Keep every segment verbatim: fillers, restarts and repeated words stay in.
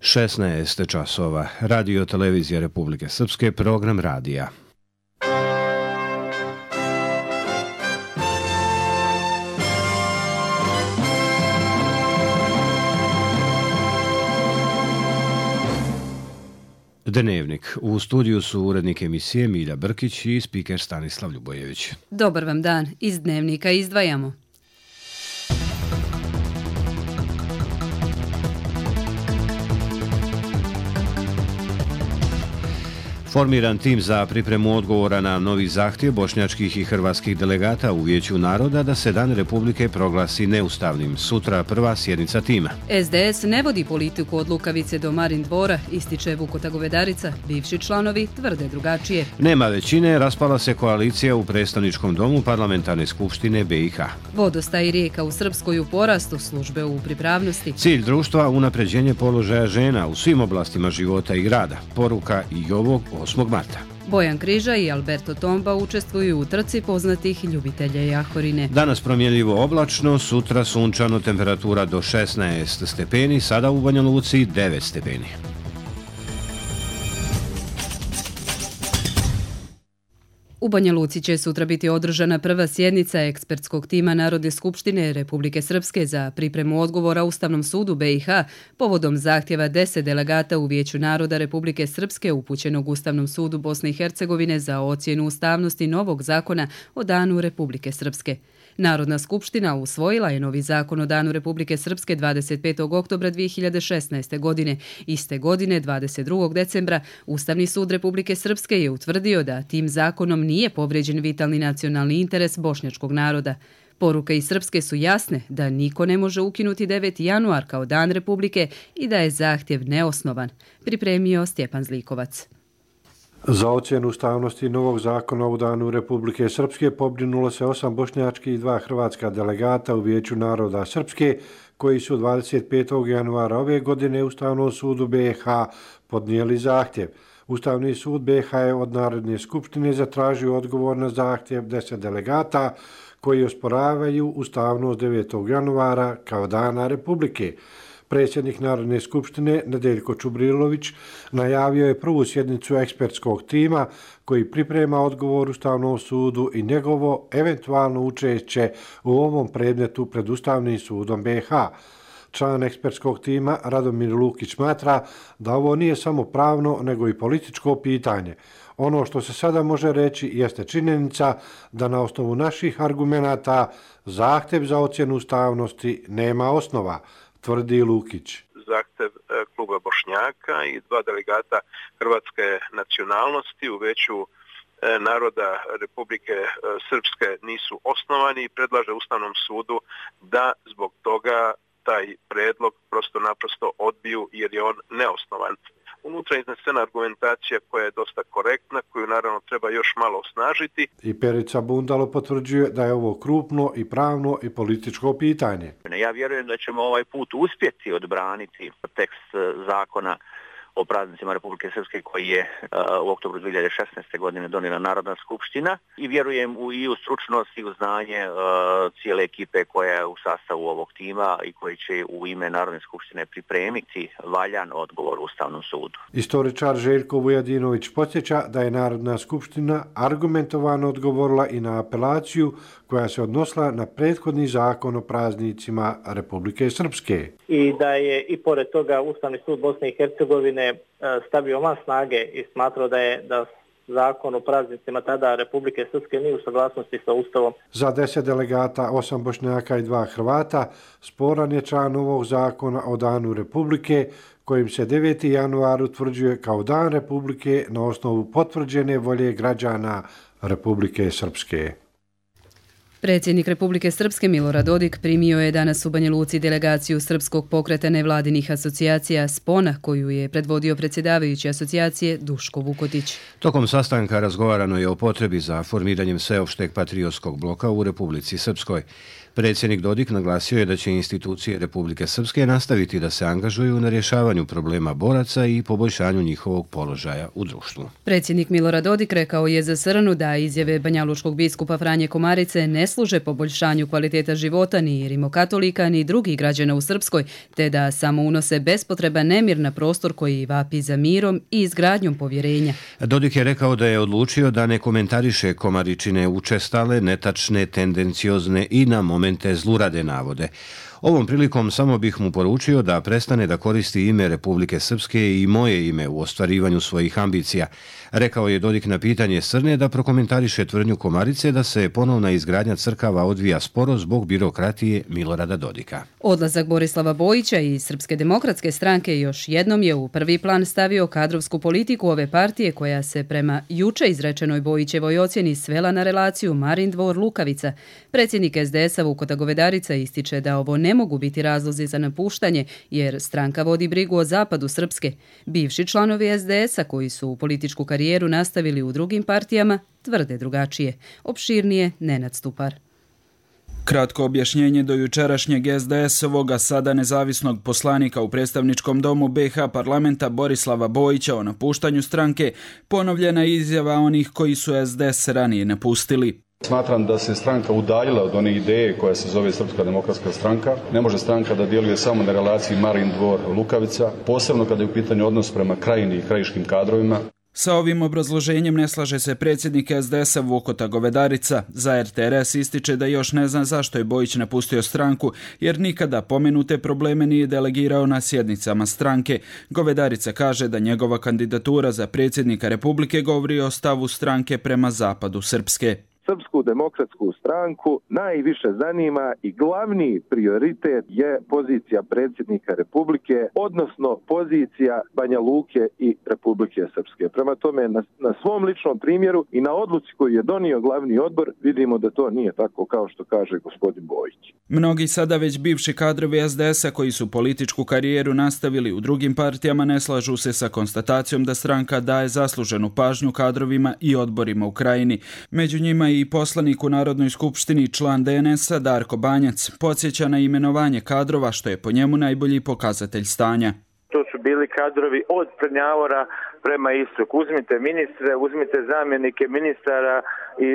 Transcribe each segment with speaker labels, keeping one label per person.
Speaker 1: šesnaest časova. Radio televizija Republike Srpske, program radija. Dnevnik. U studiju su urednik emisije Milja Brkić i spiker Stanislav Ljubojević.
Speaker 2: Dobar vam dan. Iz Dnevnika izdvajamo.
Speaker 1: Formiran tim za pripremu odgovora na novi zahtjev bošnjačkih i hrvatskih delegata u Vijeću naroda da se Dan Republike proglasi neustavnim. Sutra prva sjednica tima.
Speaker 2: S D S ne vodi politiku od Lukavice do Marin dvora, ističe Vukota Govedarica. Bivši članovi tvrde drugačije.
Speaker 1: Nema većine, raspala se koalicija u predstavničkom domu Parlamentarne skupštine B i H.
Speaker 2: Vodostaj rijeka u Srpskoj u porastu, službe u pripravnosti.
Speaker 1: Cilj društva unapređenje položaja žena u svim oblastima života i grada. Poruka i ovog osmog marta.
Speaker 2: Bojan Križa i Alberto Tomba učestvuju u trci poznatih ljubitelja jahorine.
Speaker 1: Danas promjenljivo oblačno, sutra sunčano, temperatura do šesnaest stepeni, sada u Banja Luci devet stepeni.
Speaker 2: U Banja Luci će sutra biti održana prva sjednica ekspertskog tima Narodne skupštine Republike Srpske za pripremu odgovora Ustavnom sudu B i H povodom zahtjeva deset delegata u Vijeću naroda Republike Srpske upućenog Ustavnom sudu Bosne i Hercegovine za ocjenu ustavnosti novog zakona o Danu Republike Srpske. Narodna skupština usvojila je novi zakon o Danu Republike Srpske dvadeset petog oktobra dvije hiljade šesnaeste. godine. Iste godine, dvadeset drugog decembra, Ustavni sud Republike Srpske je utvrdio da tim zakonom nije povrijeđen vitalni nacionalni interes bošnjačkog naroda. Poruke iz Srpske su jasne da niko ne može ukinuti deveti januar kao Dan Republike i da je zahtjev neosnovan, pripremio Stjepan Zlikovac.
Speaker 3: Za ocjenu ustavnosti novog zakona o Danu Republike Srpske pobrinulo se osam bošnjačkih i dva hrvatska delegata u Vijeću naroda Srpske, koji su dvadeset petog januara ove godine Ustavnom sudu B i H podnijeli zahtjev. Ustavni sud B i H je od Narodne skupštine zatražio odgovor na zahtjev deset delegata koji osporavaju ustavnost devetog januara kao Dana Republike. Predsjednik Narodne skupštine Nedeljko Čubrilović najavio je prvu sjednicu ekspertskog tima koji priprema odgovor Ustavnom sudu i njegovo eventualno učešće u ovom predmetu pred Ustavnim sudom B i H. Član ekspertskog tima Radomir Lukić smatra da ovo nije samo pravno nego i političko pitanje. Ono što se sada može reći jeste činjenica da na osnovu naših argumenata zahtjev za ocjenu ustavnosti nema osnova, tvrdi Lukić.
Speaker 4: Zahtjev kluba Bošnjaka i dva delegata hrvatske nacionalnosti u Vijeću naroda Republike Srpske nisu osnovani i predlaže Ustavnom sudu da zbog toga taj predlog prosto naprosto odbiju jer je on neosnovan. Unutra je iznesena argumentacija koja je dosta korektna, koju naravno treba još malo osnažiti.
Speaker 3: I Perica Bundalo potvrđuje da je ovo krupno i pravno i političko pitanje.
Speaker 5: Ja vjerujem da ćemo ovaj put uspjeti odbraniti tekst zakona o praznicima Republike Srpske koji je uh, u oktobru dvije hiljade šesnaeste. godine donijela Narodna skupština i vjerujem u, i u stručnost i u znanje uh, cijele ekipe koja je u sastavu ovog tima i koji će u ime Narodne skupštine pripremiti valjan odgovor Ustavnom sudu.
Speaker 3: Istoričar Željko Vujadinović podsjeća da je Narodna skupština argumentovano odgovorila i na apelaciju koja se odnosila na prethodni zakon o praznicima Republike Srpske.
Speaker 6: I da je i pored toga Ustavni sud Bosne i Hercegovine stavio van snage i smatrao da je da zakon o praznicima tada Republike Srpske nije u saglasnosti sa Ustavom.
Speaker 3: Za deset delegata, osam Bošnjaka i dva Hrvata, sporan je član ovog zakona o Danu Republike, kojim se deveti januar utvrđuje kao Dan Republike na osnovu potvrđene volje građana Republike Srpske.
Speaker 2: Predsjednik Republike Srpske Milorad Dodik primio je danas u Banja Luci delegaciju Srpskog pokreta nevladinih asocijacija Spona, koju je predvodio predsjedavajući asocijacije Duško Vukotić.
Speaker 1: Tokom sastanka razgovarano je o potrebi za formiranjem sveopšteg patriotskog bloka u Republici Srpskoj. Predsjednik Dodik naglasio je da će institucije Republike Srpske nastaviti da se angažuju na rješavanju problema boraca i poboljšanju njihovog položaja u društvu.
Speaker 2: Predsjednik Milorad Dodik rekao je za Srnu da izjave banjalučkog biskupa Franje Komarice ne služe poboljšanju kvaliteta života ni rimokatolika ni drugih građana u Srpskoj, te da samo unose bespotreban nemir na prostor koji vapi za mirom i izgradnjom povjerenja.
Speaker 1: Dodik je rekao da je odlučio da ne komentariše Komaričine učestale, netačne, tendenciozne i na momente zlurade navode. Ovom prilikom samo bih mu poručio da prestane da koristi ime Republike Srpske i moje ime u ostvarivanju svojih ambicija. Rekao je Dodik na pitanje Srne da prokomentariše tvrdnju Komarice da se ponovna izgradnja crkava odvija sporo zbog birokratije Milorada Dodika.
Speaker 2: Odlazak Borislava Bojića i Srpske demokratske stranke još jednom je u prvi plan stavio kadrovsku politiku ove partije koja se prema juče izrečenoj Bojićevoj ocjeni svela na relaciju Marin Dvor-Lukavica. Predsjednik es de esa Vukota Govedarica ističe da ovo ne mogu biti razlozi za napuštanje jer stranka vodi brigu o zapadu Srpske. Bivši članovi es de esa koji su u političku karijeru nastavili u drugim partijama tvrde drugačije. Opširnije Nenad Stupar.
Speaker 7: Kratko objašnjenje do jučerašnjeg es de esovoga sada nezavisnog poslanika u predstavničkom domu be i ha parlamenta Borislava Bojića o napuštanju stranke ponovljena izjava onih koji su es de es ranije napustili.
Speaker 8: Smatram da se stranka udaljila od one ideje koja se zove Srpska demokratska stranka. Ne može stranka da djeluje samo na relaciji Marin Dvor-Lukavica, posebno kada je u pitanju odnos prema krajini i krajiškim kadrovima.
Speaker 7: Sa ovim obrazloženjem ne slaže se predsjednik es de esa Vukota Govedarica. Za er te er es ističe da još ne zna zašto je Bojić napustio stranku, jer nikada pomenute probleme nije delegirao na sjednicama stranke. Govedarica kaže da njegova kandidatura za predsjednika Republike govori o stavu stranke prema zapadu Srpske.
Speaker 9: Srpsku demokratsku stranku najviše zanima i glavni prioritet je pozicija predsjednika Republike, odnosno pozicija Banja Luke i Republike Srpske. Prema tome, na, na svom ličnom primjeru i na odluci koju je donio glavni odbor, vidimo da to nije tako kao što kaže gospodin Bojić.
Speaker 7: Mnogi sada već bivši kadrovi es de esa koji su političku karijeru nastavili u drugim partijama ne slažu se sa konstatacijom da stranka daje zasluženu pažnju kadrovima i odborima u krajini. Među njima i poslanik u Narodnoj skupštini član de en esa Darko Banjac podsjeća na imenovanje kadrova što je po njemu najbolji pokazatelj stanja.
Speaker 10: To su bili kadrovi od Prnjavora prema istoku. Uzmite ministre, uzmite zamjenike ministara i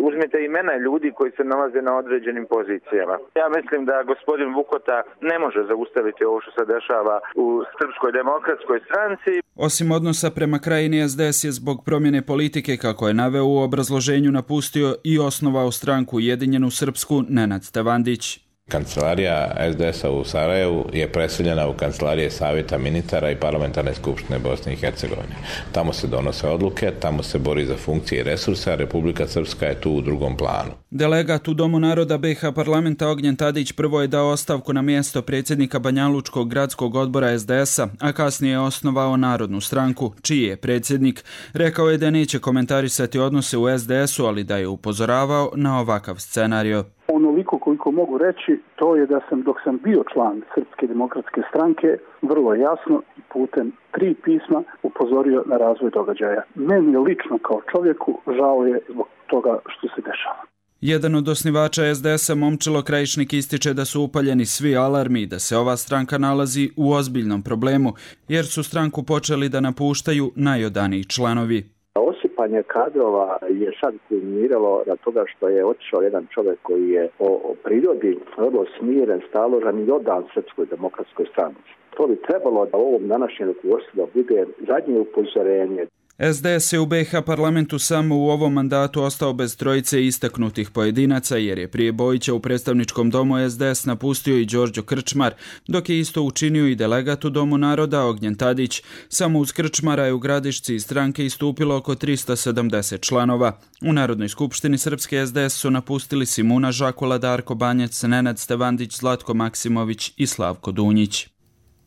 Speaker 10: uzmite imena ljudi koji se nalaze na određenim pozicijama. Ja mislim da gospodin Vukota ne može zaustaviti ovo što se dešava u Srpskoj demokratskoj stranci.
Speaker 7: Osim odnosa prema krajini, es de es je zbog promjene politike, kako je naveo u obrazloženju, napustio i osnovao stranku Ujedinjenu Srpsku Nenad Stevandić.
Speaker 11: Kancelarija es de esa u Sarajevu je preseljena u kancelarije Savjeta ministara i Parlamentarne skupštine Bosne i Hercegovine. Tamo se donose odluke, tamo se bori za funkcije i resurse, a Republika Srpska je tu u drugom planu.
Speaker 7: Delegat u Domu naroda be i ha parlamenta Ognjen Tadić prvo je dao ostavku na mjesto predsjednika Banjalučkog gradskog odbora es de esa, a kasnije je osnovao Narodnu stranku, čiji je predsjednik. Rekao je da neće komentarisati odnose u es de esu, ali da je upozoravao na ovakav scenario.
Speaker 12: Onoliko koliko mogu reći, to je da sam dok sam bio član Srpske demokratske stranke vrlo jasno i putem tri pisma upozorio na razvoj događaja. Meni lično kao čovjeku žao je zbog toga što se dešava.
Speaker 7: Jedan od osnivača es de esa Momčilo Krajišnik ističe da su upaljeni svi alarmi i da se ova stranka nalazi u ozbiljnom problemu, jer su stranku počeli da napuštaju najodaniji članovi.
Speaker 13: Osipanje kadrova je sad kulminiralo na toga što je otišao jedan čovjek koji je o, o prirodi vrlo smiren, staložan i odan Srpskoj demokratskoj stranci. To bi trebalo da ovom današnjem rukovodstvu bude zadnje upozorenje.
Speaker 7: es de es je u be i ha parlamentu samo u ovom mandatu ostao bez trojice istaknutih pojedinaca, jer je prije Bojića u predstavničkom domu es de es napustio i Đorđo Krčmar, dok je isto učinio i delegat u Domu naroda Ognjen Tadić. Samo uz Krčmara je u Gradišci iz stranke istupilo oko tristo sedamdeset članova. U Narodnoj skupštini Srpske es de es su napustili Simuna Žakula, Darko Banjac, Nenad Stevandić, Zlatko Maksimović i Slavko Dunjić.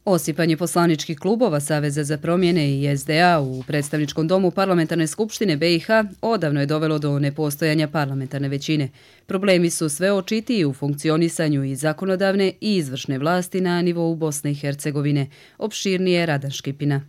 Speaker 2: Osipanje poslaničkih klubova Saveza za promjene i es de a u predstavničkom domu Parlamentarne skupštine be i ha odavno je dovelo do nepostojanja parlamentarne većine. Problemi su sve očitiji u funkcionisanju i zakonodavne i izvršne vlasti na nivou Bosne i Hercegovine. Opširnije Radan Škipina.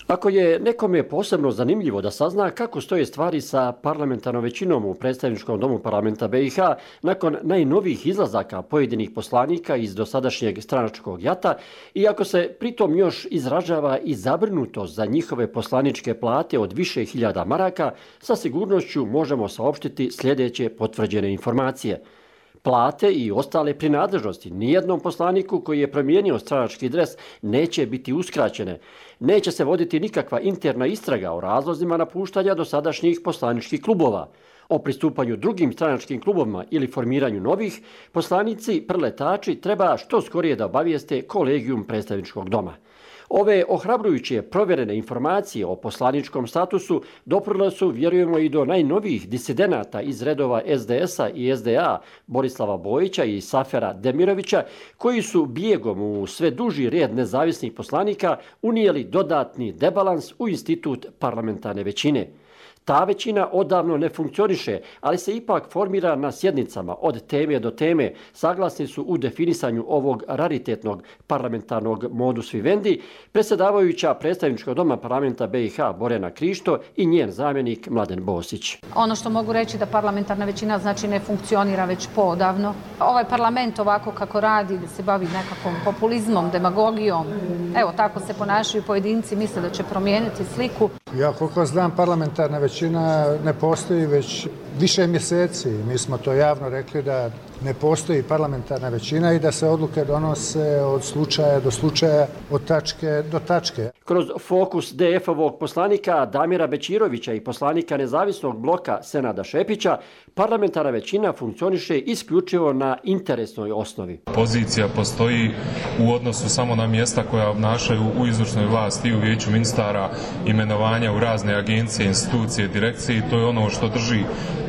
Speaker 14: Ako je nekome posebno zanimljivo da sazna kako stoje stvari sa parlamentarnom većinom u predstavničkom domu parlamenta B i H nakon najnovijih izlazaka pojedinih poslanika iz dosadašnjeg stranačkog jata i ako se pritom još izražava i zabrinutost za njihove poslaničke plate od više hiljada maraka, sa sigurnošću možemo saopštiti sljedeće potvrđene informacije. Plate i ostale prinadležnosti nijednom poslaniku koji je promijenio stranački dres neće biti uskraćene. Neće se voditi nikakva interna istraga o razlozima napuštanja dosadašnjih poslaničkih klubova. O pristupanju drugim stranačkim klubovima ili formiranju novih, poslanici preletači treba što skorije da obavijeste kolegijum predstavničkog doma. Ove ohrabrujuće provjerene informacije o poslaničkom statusu doprle su, vjerujemo, i do najnovijih disidenata iz redova S D S-a i S D A, Borislava Bojića i Safera Demirovića, koji su bijegom u sve duži red nezavisnih poslanika unijeli dodatni debalans u institut parlamentarne većine. Ta većina odavno ne funkcioniše, ali se ipak formira na sjednicama od teme do teme. Saglasni su u definisanju ovog raritetnog parlamentarnog modus vivendi predsjedavajuća predstavničkog doma parlamenta B i H Borjana Krišto i njen zamjenik Mladen Bosić.
Speaker 15: Ono što mogu reći da parlamentarna većina znači ne funkcionira već poodavno. Ovaj parlament ovako kako radi, da se bavi nekakvom populizmom, demagogijom, evo tako se ponašaju pojedinci, misle da će promijeniti sliku.
Speaker 16: Ja koliko znam, parlamentarna većina ne postoji već više mjeseci. Mi smo to javno rekli da ne postoji parlamentarna većina i da se odluke donose od slučaja do slučaja, od tačke do tačke.
Speaker 14: Kroz fokus D F-ovog poslanika Damira Bećirovića i poslanika nezavisnog bloka Senada Šepića, parlamentarna većina funkcioniše isključivo na interesnoj osnovi.
Speaker 17: Pozicija postoji u odnosu samo na mjesta koja obnašaju u izvršnoj vlasti i u vijeću ministara, imenovanja u razne agencije, institucije, direkcije, i to je ono što drži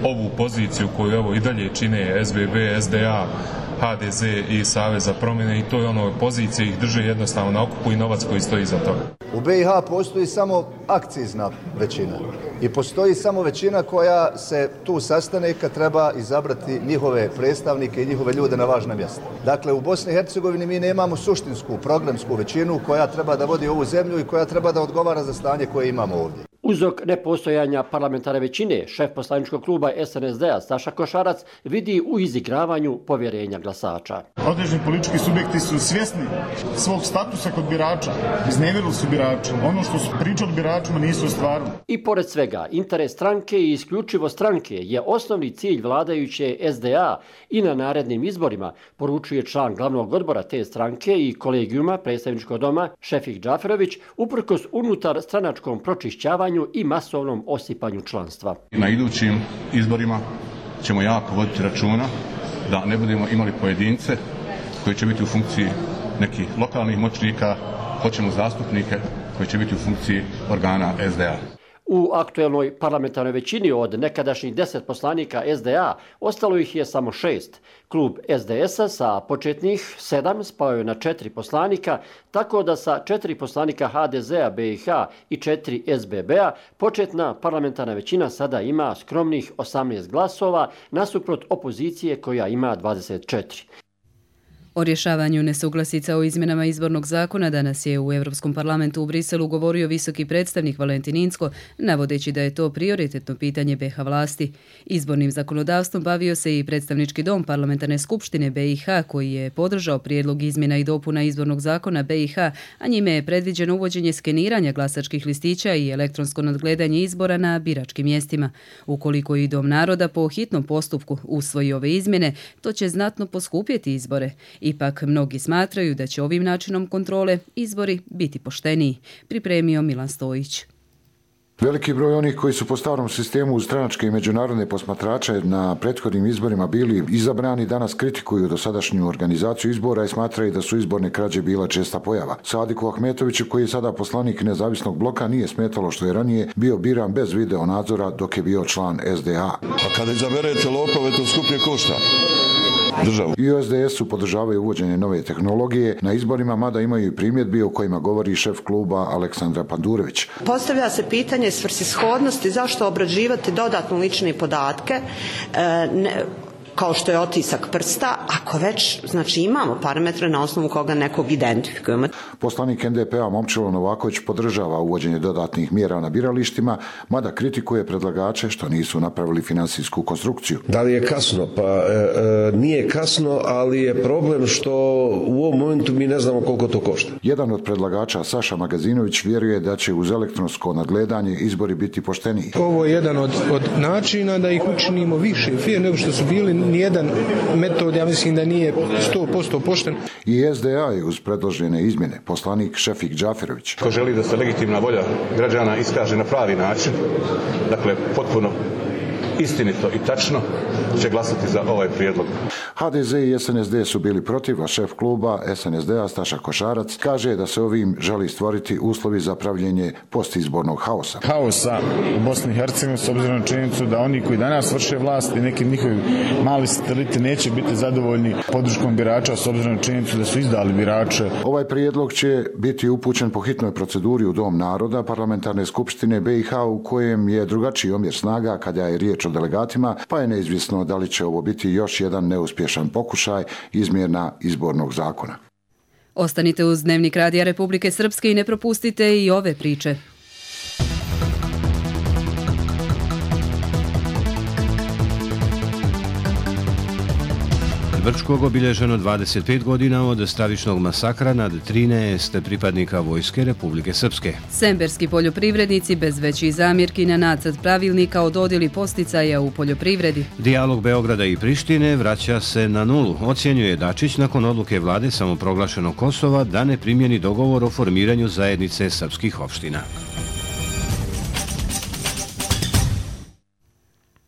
Speaker 17: ovu poziciju koju evo i dalje čine S B B, S D A, H D Z i Savez za promjene, i to je ono pozicije ih drže jednostavno na okupu i novac koji stoji iza toga.
Speaker 18: U B i H postoji samo akcizna većina i postoji samo većina koja se tu sastane kad treba izabrati njihove predstavnike i njihove ljude na važna mjesta. Dakle, u Bosni i Hercegovini mi nemamo suštinsku programsku većinu koja treba da vodi ovu zemlju i koja treba da odgovara za stanje koje imamo ovdje.
Speaker 14: Uzrok nepostojanja parlamentarne većine, šef poslaničkog kluba S N S D-a Saša Košarac vidi u izigravanju povjerenja glasača.
Speaker 19: Određeni politički subjekti su svjesni svog statusa kod birača, iznevjerili su birača. Ono što su pričali biračima nisu ostvarili.
Speaker 14: I pored svega, interes stranke i isključivo stranke je osnovni cilj vladajuće S D A i na narednim izborima, poručuje član glavnog odbora te stranke i kolegijuma predstavničkog doma Šefik Džaferović, uprkos unutar stranačkom pročišćavanju i masovnom osipanju članstva.
Speaker 20: Na idućim izborima ćemo jako voditi računa da ne budemo imali pojedince koji će biti u funkciji nekih lokalnih moćnika, hoćemo zastupnike koji će biti u funkciji organa S D A.
Speaker 14: U aktuelnoj parlamentarnoj većini od nekadašnjih deset poslanika S D A ostalo ih je samo šest. Klub S D S-a sa početnih sedam spao je na četiri poslanika, tako da sa četiri poslanika H D Z-a, B i H i četiri S B B-a početna parlamentarna većina sada ima skromnih osamnaest glasova nasuprot opozicije koja ima dvadeset četiri.
Speaker 2: O rješavanju nesuglasica o izmjenama izbornog zakona danas je u Europskom parlamentu u Briselu govorio visoki predstavnik Valentin Incko, navodeći da je to prioritetno pitanje B i H vlasti. Izbornim zakonodavstvom bavio se i predstavnički dom parlamentarne skupštine B i H, koji je podržao prijedlog izmjena i dopuna izbornog zakona B i H, a njime je predviđeno uvođenje skeniranja glasačkih listića i elektronsko nadgledanje izbora na biračkim mjestima. Ukoliko i Dom naroda po hitnom postupku usvoji ove izmjene, to će znatno poskupjeti izbore. Ipak mnogi smatraju da će ovim načinom kontrole izbori biti pošteniji, pripremio Milan Stojić.
Speaker 21: Veliki broj onih koji su po starom sistemu uz stranačke i međunarodne posmatrače na prethodnim izborima bili izabrani danas kritikuju dosadašnju organizaciju izbora i smatraju da su izborne krađe bila česta pojava. Sadiku Ahmetoviću, koji je sada poslanik nezavisnog bloka, nije smetalo što je ranije bio biran bez video nadzora dok je bio član S D A.
Speaker 22: A kada izaberete lopove, to skuplje košta. Državu.
Speaker 21: I u S D S-u podržavaju uvođenje nove tehnologije na izborima, mada imaju i primjedbi o kojima govori šef kluba Aleksandra Pandurević.
Speaker 23: Postavlja se pitanje svrsishodnosti zašto obrađivati dodatno lične podatke. E, ne,
Speaker 4: kao što je otisak prsta, ako već znači, imamo parametre na osnovu koga nekog identifikujemo.
Speaker 21: Poslanik en de pe-a Momčilo Novaković podržava uvođenje dodatnih mjera na biralištima, mada kritikuje predlagače što nisu napravili finansijsku konstrukciju.
Speaker 5: Da li je kasno? Pa e, e, nije kasno, ali je problem što u ovom momentu mi ne znamo koliko to košta.
Speaker 21: Jedan od predlagača, Saša Magazinović, vjeruje da će uz elektronsko nadgledanje izbori biti pošteniji.
Speaker 23: Ovo je jedan od, od načina da ih učinimo više fir nego što su bili. Nijedan metod, ja mislim da nije sto posto pošten.
Speaker 21: I es de a je uz predložene izmjene. Poslanik Šefik Džaferović.
Speaker 20: Ko želi da se legitimna volja građana iskaže na pravi način, dakle potpuno istinito i tačno, će glasati za ovaj prijedlog.
Speaker 21: ha de ze i es en es de su bili protiv, a šef kluba es en es de-a Staša Košarac kaže da se ovim želi stvoriti uslovi za pravljenje postizbornog haosa.
Speaker 19: Haosa u Bosni i Hercegovini s obzirom na činjenicu da oni koji danas vrše vlast i neki njihovi mali sateliti neće biti zadovoljni podrškom birača s obzirom na činjenicu da su izdali birače.
Speaker 21: Ovaj prijedlog će biti upućen po hitnoj proceduri u Dom naroda Parlamentarne skupštine be i ha u kojem je drugačiji omjer snaga kada je riječ o delegatima, pa je neizvjesno da li će ovo biti još jedan neuspješan pokušaj izmjena izbornog zakona.
Speaker 2: Ostanite uz Dnevnik Radija Republike Srpske i ne propustite i ove priče.
Speaker 1: Brčkog obilježeno dvadeset pet godina od stravičnog masakra nad trinaest pripadnika Vojske Republike Srpske.
Speaker 2: Semberski poljoprivrednici bez većih zamjerki na nacrt pravilnika o dodjeli posticaja u poljoprivredi.
Speaker 1: Dijalog Beograda i Prištine vraća se na nulu, ocjenjuje Dačić nakon odluke vlade samoproglašenog Kosova da ne primjeni dogovor o formiranju zajednice srpskih opština.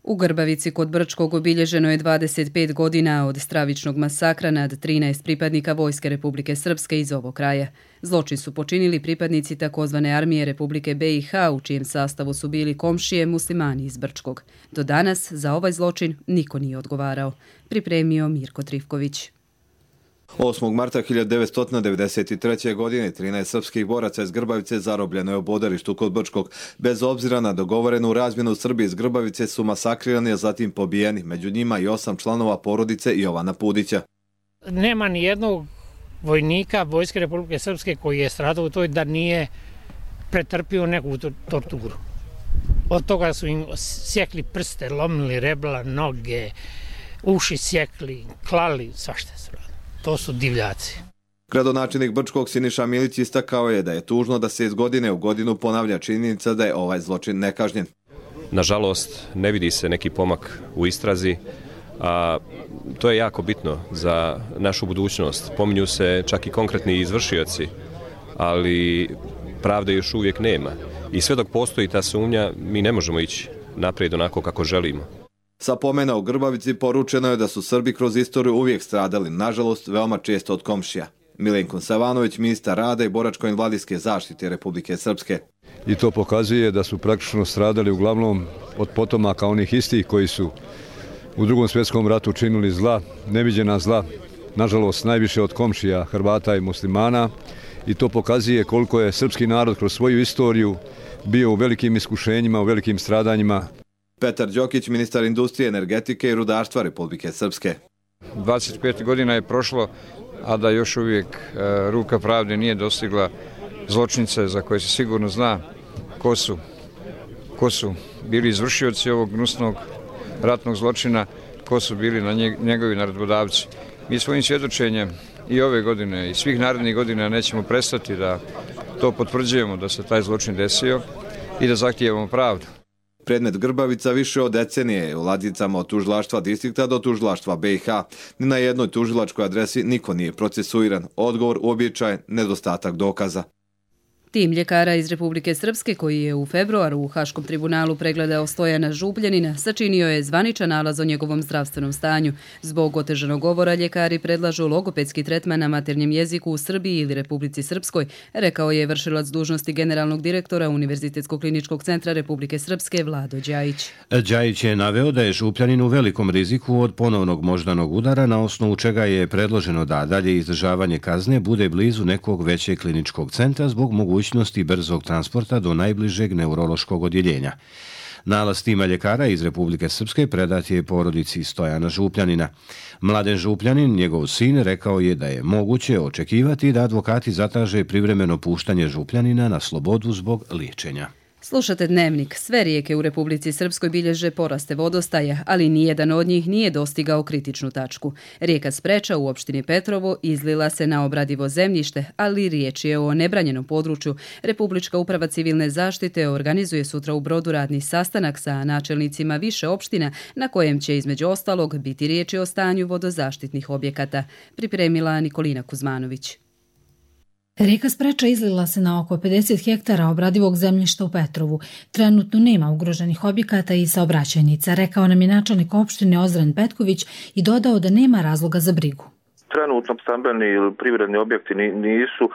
Speaker 2: U Grbavici kod Brčkog obilježeno je dvadeset pet godina od stravičnog masakra nad trinaest pripadnika Vojske Republike Srpske iz ovog kraja. Zločin su počinili pripadnici takozvane armije Republike be i ha, u čijem sastavu su bili komšije muslimani iz Brčkog. Do danas za ovaj zločin niko nije odgovarao. Pripremio Mirko Trifković.
Speaker 24: osmog marta hiljadu devetsto devedeset treće. godine trinaest srpskih boraca iz Grbavice zarobljeno je u bodarištu kod Brčkog. Bez obzira na dogovorenu razmjenu Srbi iz Grbavice su masakrirani, a zatim pobijeni. Među njima i osam članova porodice Jovana Pudića.
Speaker 25: Nema ni jednog vojnika Vojske Republike Srpske koji je stradao u toj da nije pretrpio neku torturu. Od toga su im sjekli prste, lomili rebla, noge, uši sjekli, klali, svašta su radili. To su divljaci.
Speaker 24: Gradonačelnik Brčkog Siniša Milić istakao je da je tužno da se iz godine u godinu ponavlja činjenica da je ovaj zločin nekažnjen.
Speaker 26: Nažalost, ne vidi se neki pomak u istrazi, a to je jako bitno za našu budućnost. Pominju se čak i konkretni izvršioci, ali pravde još uvijek nema. I sve dok postoji ta sumnja, mi ne možemo ići naprijed onako kako želimo.
Speaker 24: Sa pomena u Grbavici poručeno je da su Srbi kroz istoriju uvijek stradali, nažalost, veoma često od komšija. Milenko Savanović, ministar rada i boračko-invalidske zaštite Republike Srpske.
Speaker 27: I to pokazuje da su praktično stradali uglavnom od potomaka onih istih koji su u Drugom svjetskom ratu činili zla, neviđena zla, nažalost najviše od komšija Hrvata i muslimana. I to pokazuje koliko je srpski narod kroz svoju istoriju bio u velikim iskušenjima, u velikim stradanjima.
Speaker 24: Petar Đokić, ministar industrije, energetike i rudarstva Republike Srpske.
Speaker 28: dvadeset pet godina je prošlo, a da još uvijek e, ruka pravde nije dostigla zločince za koje se sigurno zna ko su, ko su bili izvršioci ovog gnusnog ratnog zločina, ko su bili na njeg, njegovi naredbodavci. Mi svojim svjedočenjem i ove godine i svih narednih godina nećemo prestati da to potvrđujemo da se taj zločin desio i da zahtijevamo pravdu.
Speaker 24: Predmet Grbavica više od decenije je u ladicama od tužilaštva distrikta do tužilaštva be i ha. Ni na jednoj tužilačkoj adresi niko nije procesuiran. Odgovor uobičajen, nedostatak dokaza.
Speaker 2: Tim ljekara iz Republike Srpske koji je u februaru u Haškom tribunalu pregledao Stojana Žubljanina sačinio je zvaničan nalaz o njegovom zdravstvenom stanju. Zbog otežanog govora ljekari predlažu logopedski tretman na maternjem jeziku u Srbiji ili Republici Srpskoj, rekao je vršilac dužnosti generalnog direktora Univerzitetskog kliničkog centra Republike Srpske Vlado Đajić.
Speaker 1: Đajić je naveo da je Župljanin u velikom riziku od ponovnog moždanog udara, na osnovu čega je predloženo da dalje izdržavanje kazne bude blizu nekog većeg kliničkog centra zbog mogućnosti brzog transporta do najbližeg neurološkog odjeljenja. Nalaz tima ljekara iz Republike Srpske predat je porodici Stojana Župljanina. Mladen Župljanin, njegov sin, rekao je da je moguće očekivati da advokati zatraže privremeno puštanje Župljanina na slobodu zbog liječenja.
Speaker 2: Slušate Dnevnik. Sve rijeke u Republici Srpskoj bilježe poraste vodostaja, ali nijedan od njih nije dostigao kritičnu tačku. Rijeka Spreča u opštini Petrovo izlila se na obradivo zemljište, ali riječ je o nebranjenom području. Republička uprava civilne zaštite organizuje sutra u Brodu radni sastanak sa načelnicima više opština na kojem će između ostalog biti riječi o stanju vodozaštitnih objekata. Pripremila Nikolina Kuzmanović.
Speaker 3: Rijeka Spreča izlila se na oko pedeset hektara obradivog zemljišta u Petrovu. Trenutno nema ugroženih objekata i saobraćajnica, rekao nam je načelnik opštine Ozren Petković i dodao da nema razloga za brigu.
Speaker 6: Trenutno stambeni ili privredni objekti nisu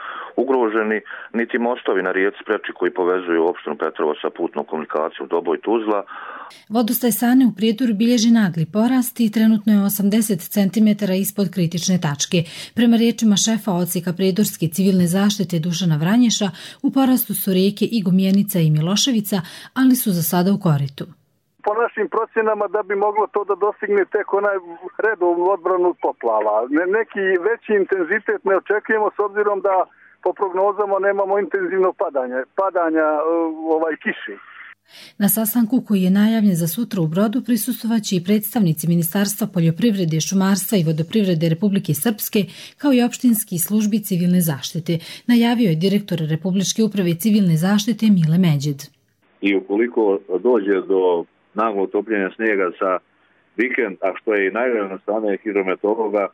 Speaker 6: ugroženi, niti mostovi na rijeci Spreči koji povezuju opštinu Petrovo sa putnom komunikacijom Doboj Tuzla.
Speaker 3: Vodostaj Sane u Prijedoru bilježi nagli porast i trenutno je osamdeset centimetara ispod kritične tačke. Prema riječima šefa odsjeka Prijedorske civilne zaštite Dušana Vranješa, u porastu su rijeke i Gomjenica i Miloševica, ali su za sada u koritu.
Speaker 8: Po našim procjenama da bi moglo to da dostigne tek onaj redovnu odbranu od poplava. Neki veći intenzitet ne očekujemo s obzirom da po prognozama nemamo intenzivno padanje, padanja ovaj kiši.
Speaker 3: Na sastanku koji je najavljen za sutra u Brodu prisustvovaće i predstavnici Ministarstva poljoprivrede, šumarstva i vodoprivrede Republike Srpske, kao i opštinski službi civilne zaštite, najavio je direktor Republičke uprave civilne zaštite Mile Međed.
Speaker 9: I ukoliko dođe do naglo topljenja snijega za vikend, a što je i najavljeno na strane hidrometeorologa,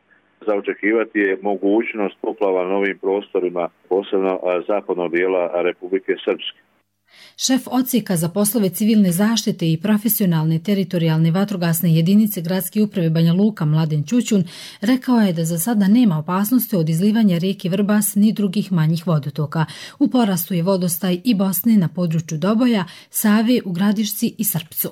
Speaker 9: za očekivati je mogućnost poplava na novim prostorima, posebno zapadnog dijela Republike Srpske.
Speaker 3: Šef odsjeka za poslove civilne zaštite i profesionalne teritorijalne vatrogasne jedinice Gradske uprave Banja Luka Mladen Ćućun rekao je da za sada nema opasnosti od izlivanja rijeke Vrbas ni drugih manjih vodotoka. U porastu je vodostaj i Bosne na području Doboja, Save u Gradišci i Srpcu.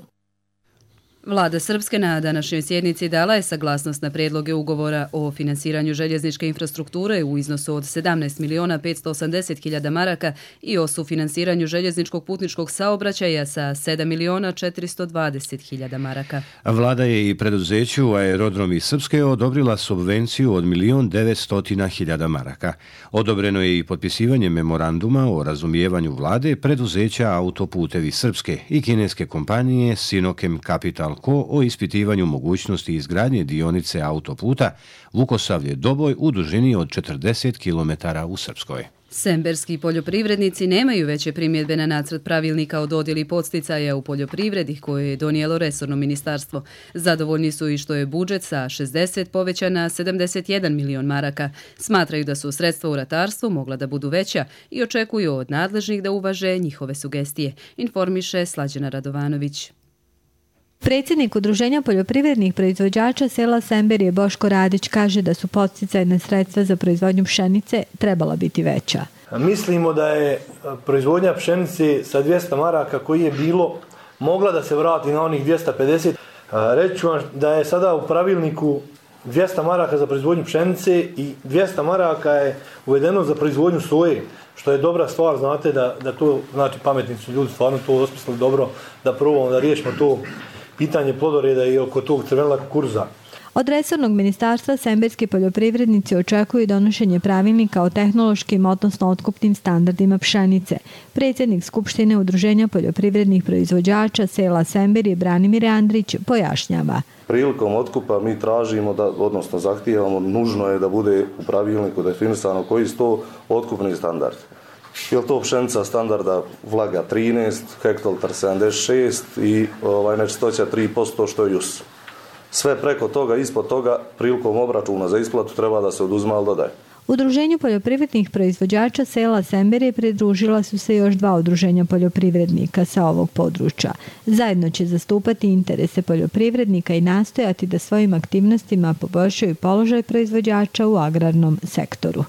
Speaker 2: Vlada Srpske na današnjoj sjednici dala je saglasnost na prijedloge ugovora o finansiranju željezničke infrastrukture u iznosu od sedamnaest miliona petsto osamdeset hiljada maraka i o sufinansiranju željezničkog putničkog saobraćaja sa sedam miliona četiristo dvadeset hiljada maraka.
Speaker 1: Vlada je i preduzeću Aerodromi Srpske odobrila subvenciju od milion devetsto hiljada maraka. Odobreno je i potpisivanje memoranduma o razumijevanju vlade preduzeća Autoputevi Srpske i kineske kompanije Sinokem Capital o ispitivanju mogućnosti izgradnje dionice autoputa Vukosavlje-Doboj u dužini od četrdeset kilometara u Srpskoj.
Speaker 2: Semberski poljoprivrednici nemaju veće primjedbe na nacrt pravilnika o dodjeli podsticaja u poljoprivredi koje je donijelo resorno ministarstvo. Zadovoljni su i što je budžet sa šezdeset povećan na sedamdeset jedan milion maraka. Smatraju da su sredstva u ratarstvu mogla da budu veća i očekuju od nadležnih da uvaže njihove sugestije, informiše Slađana Radovanović.
Speaker 10: Predsjednik Udruženja poljoprivrednih proizvođača sela Semberije Boško Radić kaže da su podsticajna sredstva za proizvodnju pšenice trebala biti veća.
Speaker 11: Mislimo da je proizvodnja pšenice sa dvjesto maraka koji je bilo mogla da se vrati na onih dvjesto pedeset. Reći ću vam da je sada u pravilniku dvjesto maraka za proizvodnju pšenice i dvjesto maraka je uvedeno za proizvodnju soje, što je dobra stvar, znate da, da to, znači pametni su ljudi stvarno to osmislili dobro, da probamo da riješimo to pitanje plodoreda i oko tog crvenila kukuruza.
Speaker 10: Od resornog ministarstva semberski poljoprivrednici očekuju donošenje pravilnika o tehnološkim, odnosno otkupnim standardima pšenice. Predsjednik Skupštine Udruženja poljoprivrednih proizvođača sela Semberije Branimir Andrić pojašnjava.
Speaker 12: Prilikom otkupa mi tražimo, da, odnosno zahtijevamo, nužno je da bude u pravilniku definisano koji su to otkupni standardi. Je li to pšenica standarda vlaga trinaest, hektolitar sedamdeset šest i ovaj, nečistoća tri posto što je J U S. Sve preko toga, ispod toga, prilikom obračuna za isplatu treba da se oduzme, ali dodaje.
Speaker 10: Udruženju poljoprivrednih proizvođača sela Semberije pridružila su se još dva udruženja poljoprivrednika sa ovog područja. Zajedno će zastupati interese poljoprivrednika i nastojati da svojim aktivnostima poboljšaju položaj proizvođača u agrarnom sektoru.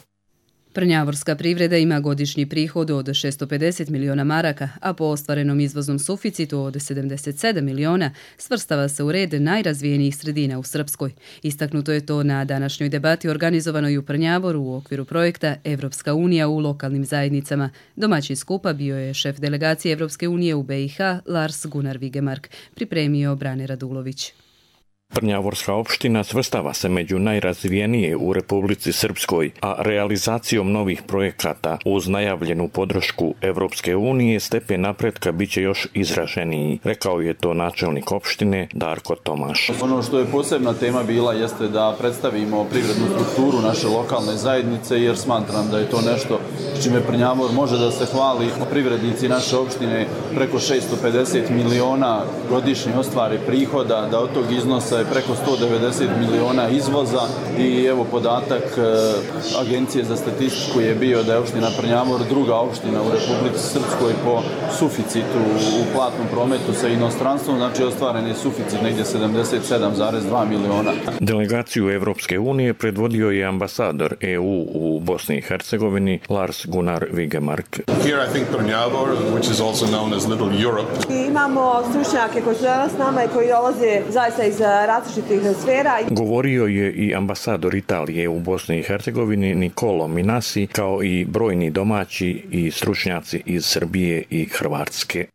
Speaker 2: Prnjavorska privreda ima godišnji prihod od šesto pedeset miliona maraka, a po ostvarenom izvoznom suficitu od sedamdeset sedam miliona svrstava se u red najrazvijenijih sredina u Srpskoj. Istaknuto je to na današnjoj debati organizovanoj u Prnjavoru u okviru projekta Evropska unija u lokalnim zajednicama. Domaćin skupa bio je šef delegacije Evropske unije u B i H Lars Gunnar Vigemark, pripremio Brane Radulović.
Speaker 7: Prnjavorska opština svrstava se među najrazvijenije u Republici Srpskoj, a realizacijom novih projekata uz najavljenu podršku Evropske unije stepen napretka biće još izraženiji, rekao je to načelnik opštine Darko Tomaš.
Speaker 13: Ono što je posebna tema bila jeste da predstavimo privrednu strukturu naše lokalne zajednice, jer smatram da je to nešto s čime Prnjavor može da se hvali. Privrednici naše opštine preko šesto pedeset miliona godišnje ostvare prihoda, da od tog iznosa je preko sto devedeset miliona izvoza i evo podatak e, Agencije za statistiku je bio da je opština Prnjavor druga opština u Republici Srpskoj po suficitu u platnom prometu sa inostranstvom, znači ostvaren je suficit negdje sedamdeset sedam zarez dva miliona.
Speaker 7: Delegaciju Evropske unije predvodio je ambasador E U u Bosni i Hercegovini Lars Gunnar Vigemark.
Speaker 14: Here I think Prnjavor, which is also known as Little Europe.
Speaker 15: Imamo stručnjake koji su danas s nama i koji dolaze zaista iz različitih sfera.
Speaker 7: Govorio je i ambasador Italije u Bosni i Hercegovini Nicolo Minasi, kao i brojni domaći i stručnjaci iz Srbije i Hrvatske.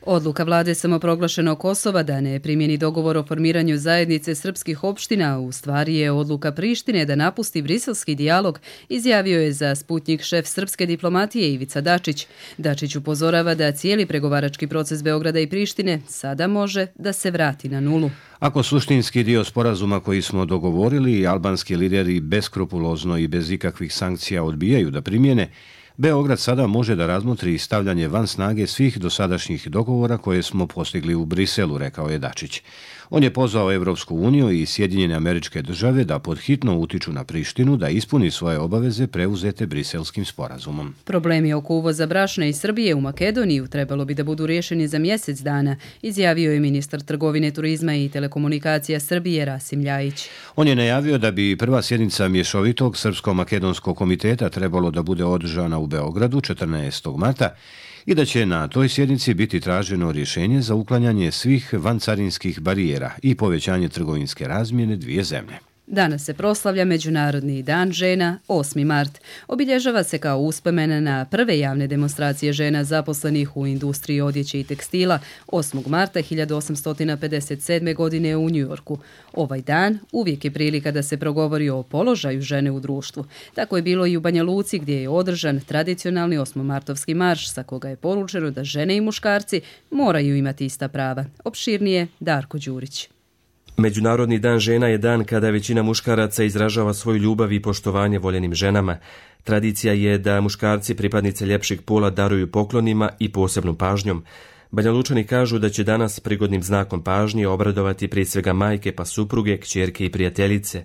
Speaker 2: Odluka vlade samoproglašenog Kosova da ne primjeni dogovor o formiranju zajednice srpskih opština u stvari je odluka Prištine da napusti briselski dijalog, izjavio je za Sputnjik šef srpske diplomatije Ivica Dačić. Dačić upozorava da cijeli pregovarački proces Beograda i Prištine sada može da se vrati na nulu.
Speaker 1: Ako suštinski dio sporazuma koji smo dogovorili, albanski lideri beskrupulozno i bez ikakvih sankcija odbijaju da primjene, Beograd sada može da razmotri stavljanje van snage svih dosadašnjih dogovora koje smo postigli u Briselu, rekao je Dačić. On je pozvao Evropsku uniju i Sjedinjene Američke Države da podhitno utiču na Prištinu da ispuni svoje obaveze preuzete briselskim sporazumom.
Speaker 2: Problemi oko uvoza brašna iz Srbije u Makedoniju trebalo bi da budu riješeni za mjesec dana, izjavio je ministar trgovine, turizma i telekomunikacija Srbije Rasim Ljajić.
Speaker 1: On je najavio da bi prva sjednica mješovitog Srpsko-makedonskog komiteta trebalo da bude održana u Beogradu četrnaestog marta i da će na toj sjednici biti traženo rješenje za uklanjanje svih vancarinskih barijera i povećanje trgovinske razmjene dvije zemlje.
Speaker 2: Danas se proslavlja Međunarodni dan žena, osmi mart. Obilježava se kao uspomen na prve javne demonstracije žena zaposlenih u industriji odjeće i tekstila osmog marta hiljadu osamsto pedeset sedme. godine u Njujorku. Ovaj dan uvijek je prilika da se progovori o položaju žene u društvu. Tako je bilo i u Banja Luci gdje je održan tradicionalni osmomartovski marš sa koga je poručeno da žene i muškarci moraju imati ista prava. Opširnije Darko Đurić.
Speaker 16: Međunarodni dan žena je dan kada većina muškaraca izražava svoju ljubav i poštovanje voljenim ženama. Tradicija je da muškarci pripadnice ljepšeg pola daruju poklonima i posebnom pažnjom. Banja Lučani kažu da će danas prigodnim znakom pažnje obradovati prije svega majke pa supruge, kćerke i prijateljice.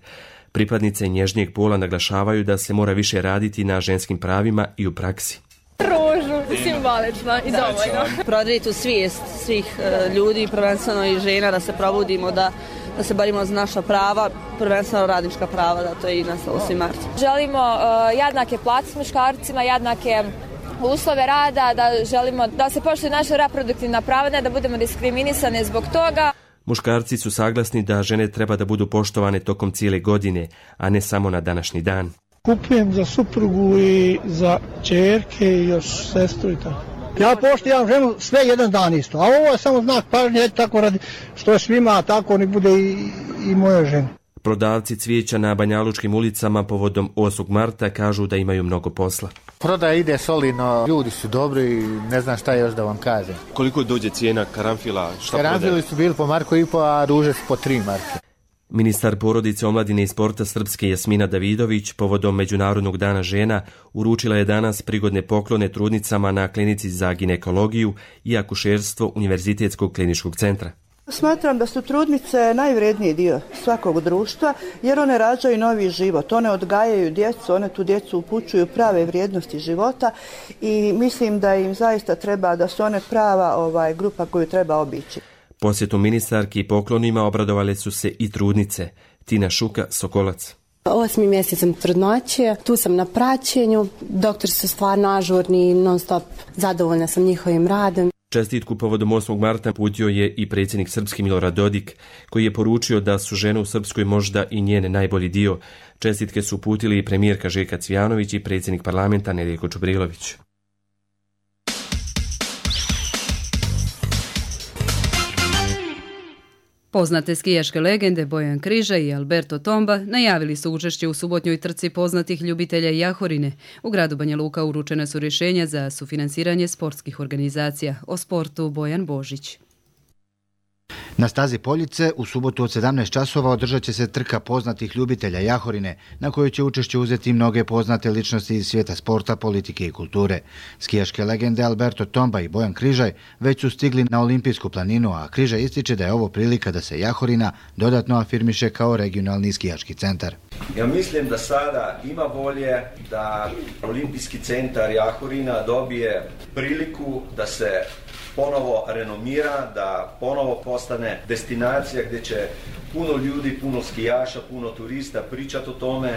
Speaker 16: Pripadnice nježnijeg pola naglašavaju da se mora više raditi na ženskim pravima i u praksi.
Speaker 17: Ružu, simbolično i dovoljno.
Speaker 15: Prodri tu svijest svih uh, ljudi, prvenstveno i žena, da se probudimo, da, da se borimo za naša prava, prvenstveno radnička prava, da to je i nastalo osmi mart.
Speaker 17: Želimo uh, jednake plate s muškarcima, jednake uslove rada, da želimo da se poštuje naša reproduktivna prava, ne da budemo diskriminisane zbog toga.
Speaker 16: Muškarci su saglasni da žene treba da budu poštovane tokom cijele godine, a ne samo na današnji dan.
Speaker 18: Kupujem za suprugu i za čerke i još sestru i tako. Ja poštivam ženu sve jedan dan isto, a ovo je samo znak pažnje, tako radi što je svima, tako ni bude i, i moja žena.
Speaker 16: Prodavci cvijeća na banjalučkim ulicama povodom osmog marta kažu da imaju mnogo posla.
Speaker 22: Prodaja ide solidno, ljudi su dobri i ne znam šta još da vam kažem.
Speaker 16: Koliko dođe cijena karanfila? Šta
Speaker 22: karanfili prodaje? Su bili po marku i po, a ruže su po tri marke.
Speaker 16: Ministar porodice, omladine i sporta Srpske Jasmina Davidović povodom Međunarodnog dana žena uručila je danas prigodne poklone trudnicama na klinici za ginekologiju i akušerstvo Univerzitetskog kliničkog centra.
Speaker 15: Smatram da su trudnice najvredniji dio svakog društva jer one rađaju novi život, one odgajaju djecu, one tu djecu upućuju prave vrijednosti života i mislim da im zaista treba, da su one prava ovaj, grupa koju treba obići.
Speaker 16: Posjetom ministarki i poklonima obradovale su se i trudnice. Tina Šuka, Sokolac.
Speaker 4: Osmi mjesec sam trudnoće, tu sam na praćenju, doktori su stvarno ažurni, non stop zadovoljna sam njihovim radom.
Speaker 16: Čestitku povodom osmog marta putio je i predsjednik Srpski Milorad Dodik, koji je poručio da su žene u Srpskoj možda i njene najbolji dio. Čestitke su uputili i premijerka Željka Cvijanović i predsjednik parlamenta Nedjeljko Čubrilović.
Speaker 2: Poznate skijaške legende Bojan Križaj i Alberto Tomba najavili su učešće u subotnjoj trci poznatih ljubitelja Jahorine. U gradu Banja Luka uručene su rješenja za sufinansiranje sportskih organizacija. O sportu Bojan Božić.
Speaker 5: Na stazi Poljice u subotu od sedamnaest časova održat će se trka poznatih ljubitelja Jahorine, na kojoj će učešće uzeti mnoge poznate ličnosti iz svijeta sporta, politike i kulture. Skijaške legende Alberto Tomba i Bojan Križaj već su stigli na Olimpijsku planinu, a Križaj ističe da je ovo prilika da se Jahorina dodatno afirmiše kao regionalni skijaški centar.
Speaker 19: Ja mislim da sada ima volje da Olimpijski centar Jahorina dobije priliku da se ponovo renomira, da ponovo postane destinacija gdje će puno ljudi, puno skijaša, puno turista pričati o tome,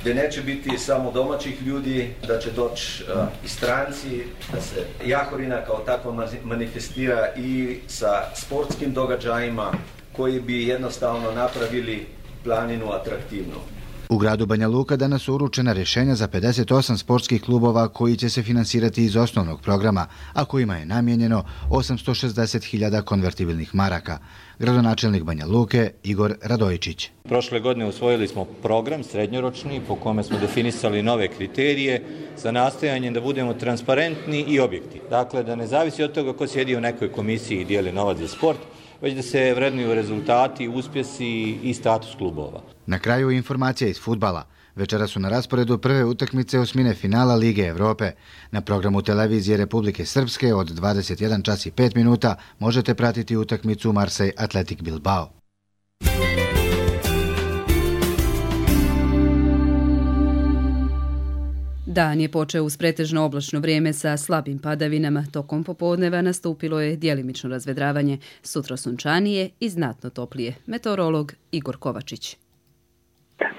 Speaker 19: gdje neće biti samo domaćih ljudi, da će doći uh, i stranci, da se Jahorina kao takva manifestira i sa sportskim događajima koji bi jednostavno napravili planinu atraktivnu.
Speaker 5: U gradu Banja Luka danas su uručena rješenja za pedeset osam sportskih klubova koji će se finansirati iz osnovnog programa, a kojima je namijenjeno osamsto šezdeset hiljada konvertibilnih maraka. Gradonačelnik Banja Luke Igor Radojičić.
Speaker 20: Prošle godine usvojili smo program srednjoročni po kome smo definisali nove kriterije za nastojanje da budemo transparentni i objektivni. Dakle, da ne zavisi od toga ko sjedi u nekoj komisiji i dijeli novac za sport, već da se vrednuju rezultati, uspjesi i status klubova.
Speaker 5: Na kraju informacija iz fudbala. Večera su na rasporedu prve utakmice osmine finala Lige Evrope. Na programu televizije Republike Srpske od dvadeset jedan čas i pet minuta možete pratiti utakmicu Marseille Athletic Bilbao.
Speaker 2: Dan je počeo uz pretežno oblačno vrijeme sa slabim padavinama. Tokom popodneva nastupilo je djelimično razvedravanje, sutra sunčanije i znatno toplije. Meteorolog Igor Kovačić.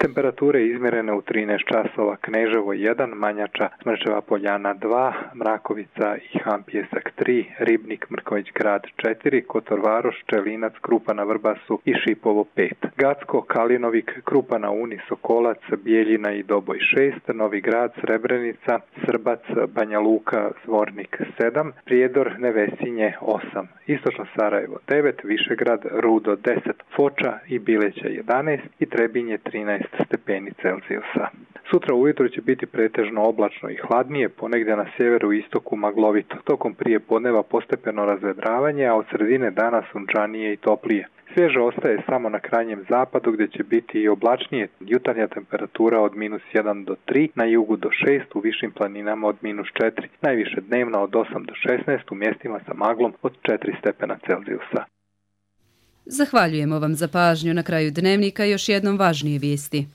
Speaker 21: Temperature izmjerene u trinaest časova, Kneževo jedan, Manjača, Smrčeva Poljana dva, Mrakovica i Han Pjesak tri, Ribnik, Mrković Grad četiri, Kotor Varoš, Čelinac, Krupa na Vrbasu i Šipovo pet. Gacko, Kalinovik, Krupa na Uni, Sokolac, Bijeljina i Doboj šest, Novi Grad, Srebrenica, Srbac, Banja Luka, Zvornik sedam, Prijedor, Nevesinje osam, Istočno Sarajevo devet, Višegrad, Rudo deset, Foča i Bileća jedanaest i Trebinje trinaest stepeni Celzijusa. Sutra ujutro će biti pretežno oblačno i hladnije, ponegdje na sjeveru i istoku maglovito. Tokom prije podneva postepeno razvedravanje, a od sredine dana sunčanije i toplije. Svježe ostaje samo na krajnjem zapadu gdje će biti i oblačnije. Jutarnja temperatura od minus jedan do tri, na jugu do šest, u višim planinama od minus četiri, najviše dnevno od osam do šesnaest, u mjestima sa maglom od četiri stepena Celzijusa.
Speaker 2: Zahvaljujemo vam za pažnju. Na kraju dnevnika još jednom važnije vijesti.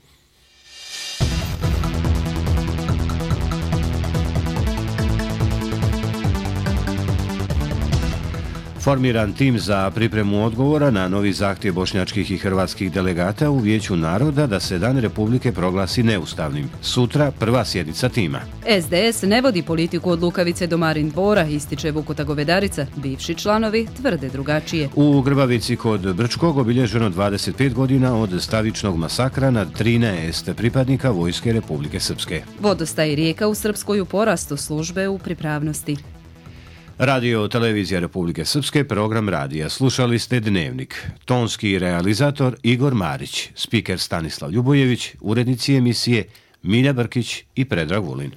Speaker 1: Formiran tim za pripremu odgovora na novi zahtjev bošnjačkih i hrvatskih delegata u Vijeću naroda da se Dan Republike proglasi neustavnim. Sutra prva sjednica tima.
Speaker 2: S D S ne vodi politiku od Lukavice do Marin dvora, ističe Vukota Govedarica. Bivši članovi tvrde drugačije.
Speaker 1: U Grbavici kod Brčkog obilježeno dvadeset pet godina od stravičnog masakra nad trinaest pripadnika Vojske Republike Srpske.
Speaker 2: Vodostaj rijeka u Srpskoj u porastu, službe u pripravnosti.
Speaker 1: Radio Televizija Republike Srpske, program radija. Slušali ste Dnevnik. Tonski realizator Igor Marić, spiker Stanislav Ljubojević, urednici emisije Milja Brkić i Predrag Vulin.